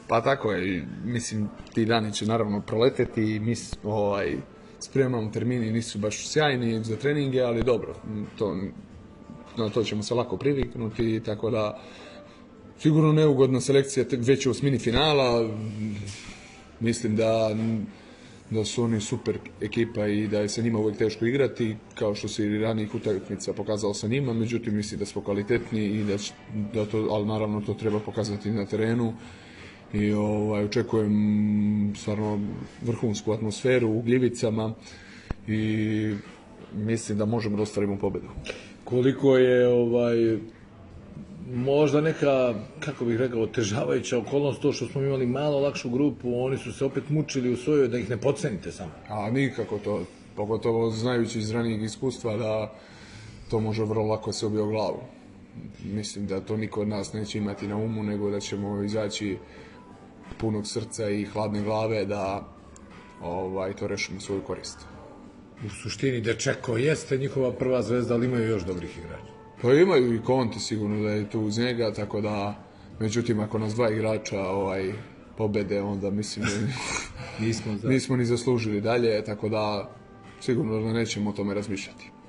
Pa tako je, mislim, ti dani će naravno proleteti i mi spremamo termini, nisu baš sjajni za treninge, ali dobro, na to ćemo se lako priviknuti, tako da sigurno neugodna selekcija već u osmini finala, mislim da su oni super ekipa i da je sa njima uvijek teško igrati, kao što se i ranijih utakmica pokazalo sa njima, međutim mislim da smo kvalitetni i ali naravno to treba pokazati na terenu i očekujem stvarno vrhunsku atmosferu u Gljivicama i mislim da možemo da ostvarimo pobedu. Koliko je možda neka, kako bih rekao, otežavajuća okolnost to što smo imali malo lakšu grupu, oni su se opet mučili u svojoj, da ih ne podcenite samo. A nikako to, pogotovo znajući iz ranijeg iskustva da to može vrlo lako se obije o glavu. Mislim da to niko od nas neće imati na umu, nego da ćemo izaći punog srca i hladne glave da to rešimo u svoju korist. U suštini Dečeko jeste njihova prva zvezda, ali imaju još dobrih igrača. Pa imaju i Conte sigurno da je tu uz njega, tako da, međutim, ako nas dva igrača pobede, onda mislim da nismo ni zaslužili dalje, tako da sigurno da nećemo o tome razmišljati.